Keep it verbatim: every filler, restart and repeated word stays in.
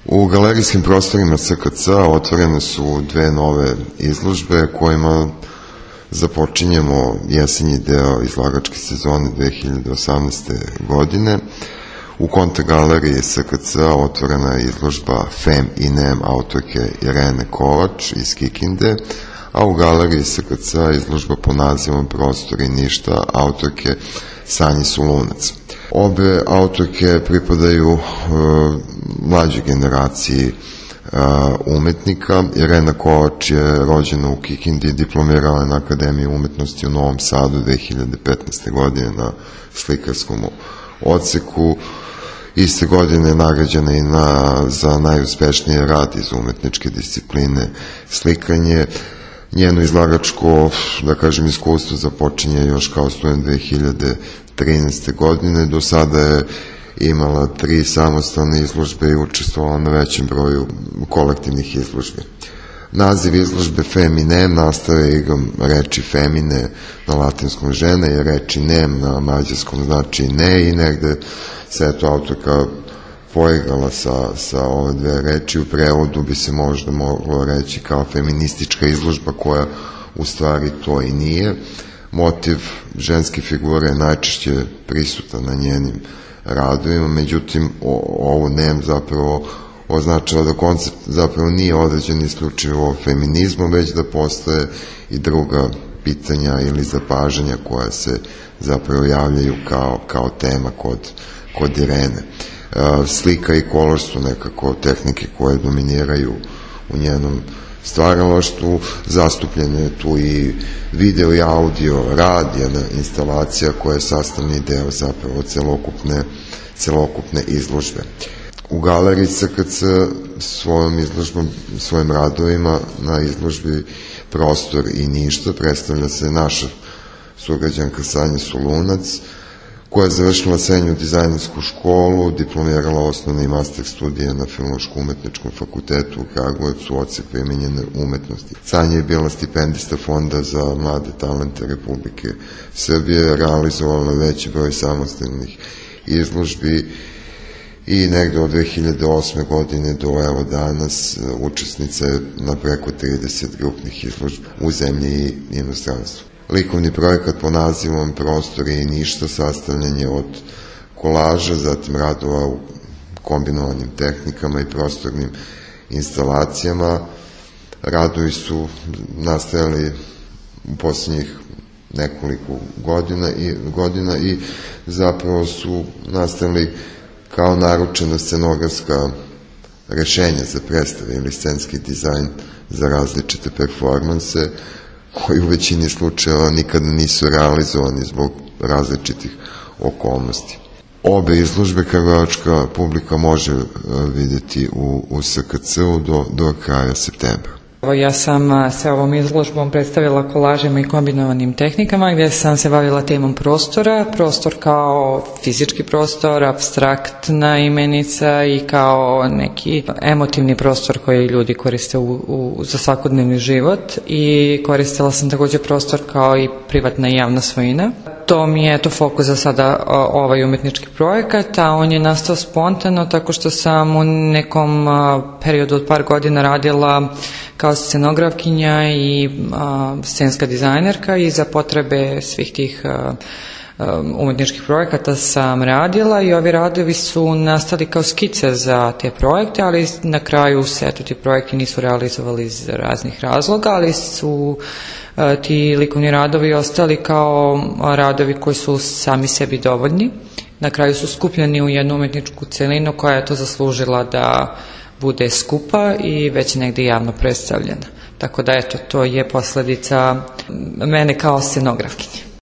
U galerijskim prostorima S K C-a otvorene su dve nove izložbe kojima započinjemo jesenji deo izlagačke sezone dve hiljade osamnaeste. godine. U Konta galeriji S K C-a otvorena je izložba Fem i Nem autorke Irene Kovač iz Kikinde, a u galeriji S K C-a izložba pod nazivom Prostor i ništa autorke Sanje Solunac. Obe autorke pripadaju uh, mlađoj generaciji uh, umetnika. Irena Kovač je rođena u Kikindi, diplomirala na Akademiji umetnosti u Novom Sadu dve hiljade petnaeste. godine na slikarskom odseku. Iste godine je nagrađena i na, za najuspešniji rad iz umetničke discipline slikanje. Njeno izlagačko, da kažem, iskustvo započinje još kao student dve hiljade trinaeste. godine. Do sada je imala tri samostalne izložbe i učestvovala na većem broju kolektivnih izložbi. Naziv izložbe Fem i Nem nastaje igrom reči femine na latinskom žene i reči nem na mađarskom znači ne, i negde se eto autorka poigrala sa, sa ove dve reči. U prevodu bi se možda moglo reći kao feministička izložba, koja u stvari to i nije. Motiv ženske figure je najčešće prisutan na njenim radovima, međutim ovo nem zapravo označava da koncept zapravo nije određen isključivo feminizmom, već da postoje i druga pitanja ili zapažanja koja se zapravo javljaju kao, kao tema kod, kod Irene. Slika i kolor su nekako tehnike koje dominiraju u njenom stvaralaštvu. Zastupljeno je tu i video i audio rad, jedna instalacija koja je sastavni deo zapravo celokupne, celokupne izložbe. U galeriji S K C svojom izložbom, svojim radovima na izložbi Prostor i ništa predstavlja se naša sugrađanka Sanja Solunac, koja je završila srednju dizajnersku školu, diplomirala osnovne i master studije na Filološko-umetničkom fakultetu u Kragujevcu, odsek primenjene umetnosti. Sanja je bila stipendista Fonda za mlade talente Republike Srbije, realizovala veći broj samostalnih izložbi i negde od dve hiljade osme. godine do evo danas učesnica je na preko trideset grupnih izložbi u zemlji i inostranstvu. Likovni projekat pod nazivom Prostor i ništa sastavljen je od kolaža, zatim radova u kombinovanim tehnikama i prostornim instalacijama. Radovi su nastajali u poslednjih nekoliko godina i, godina i zapravo su nastali kao naručena scenografska rešenja za predstave ili scenski dizajn za različite performanse, koji u većini slučajeva nikada nisu realizovani zbog različitih okolnosti. Obe izložbe kragujevačka publika može vidjeti u, u S K C-u do, do kraja septembra. Ja sam se ovom izložbom predstavila kolažima i kombinovanim tehnikama, gdje sam se bavila temom prostora, prostor kao fizički prostor, apstraktna imenica i kao neki emotivni prostor koji ljudi koriste u, u, za svakodnevni život, i koristila sam takođe prostor kao i privatna i javna svojina. To mi je to fokus za sada ovaj umetnički projekat, a on je nastao spontano tako što sam u nekom periodu od par godina radila kao scenografkinja i a, scenska dizajnerka, i za potrebe svih tih a, a, umetničkih projekata sam radila, i ovi radovi su nastali kao skice za te projekte, ali na kraju se eto ti projekti nisu realizovali iz raznih razloga, ali su a, ti likovni radovi ostali kao radovi koji su sami sebi dovoljni. Na kraju su skupljeni u jednu umetničku celinu koja je to zaslužila da bude skupa i već negde javno predstavljena. Tako da eto, to je posledica mene kao scenografkinje.